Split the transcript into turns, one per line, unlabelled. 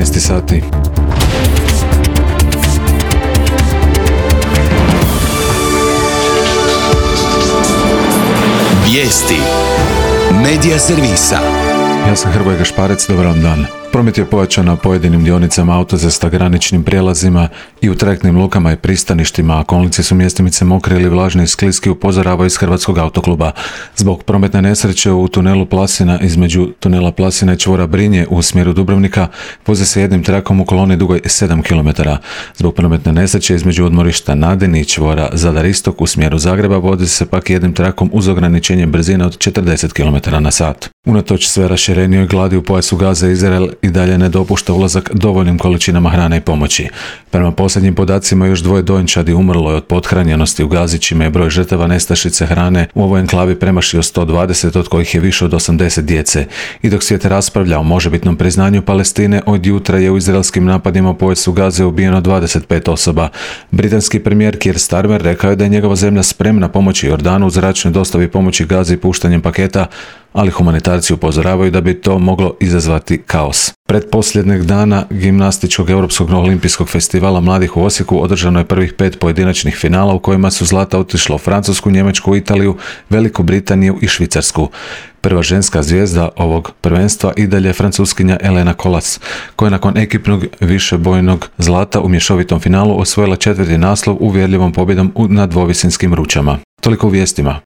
12 sati.
Vijesti Medija servisa.
Ja sam Hrvoje Gašparec, dobar vam dan. Promet je pojačan na pojedinim dionicama autocesta, graničnim prijelazima i u trajektnim lukama i pristaništima, a kolnici su mjestimice mokri ili vlažni i skliski, upozoravaju iz Hrvatskog autokluba. Zbog prometne nesreće u tunelu Plasina između tunela Plasina i čvora Brinje u smjeru Dubrovnika voze se jednim trakom u koloni dugoj 7 km. Zbog prometne nesreće između odmorišta Nadin i čvora Zadar Istok u smjeru Zagreba voze se pak jednim trakom uz ograničenje brzine od 40 km/h. Unatoč sve raširenijoj gladi u pojasu Gaze, Izrael i dalje ne dopušta ulazak dovoljnim količinama hrane i pomoći. Prema posljednjim podacima još 2 dojenčadi umrlo je od pothranjenosti u Gazi, čime je broj žrtava nestašice hrane u ovoj enklavi premašio 120, od kojih je više od 80 djece. I dok svijet raspravlja o možebitnom priznanju Palestine, od jutra je u izraelskim napadima u pojasu Gaze ubijeno 25 osoba. Britanski premijer Keir Starmer rekao je da je njegova zemlja spremna pomoći Jordanu u zračnoj dostavi pomoći Gazi puštanjem paketa, ali humanitarci upozoravaju da bi to moglo izazvati kaos. Pretposljednjeg dana gimnastičkog Europskog olimpijskog festivala mladih u Osijeku održano je prvih 5 pojedinačnih finala u kojima su zlata otišla u Francusku, Njemačku, Italiju, Veliku Britaniju i Švicarsku. Prva ženska zvijezda ovog prvenstva i dalje je Francuskinja Elena Colas, koja je nakon ekipnog višebojnog zlata u mješovitom finalu osvojila 4. naslov uvjerljivom pobjedom na dvovisinskim ručama. Toliko u vijestima.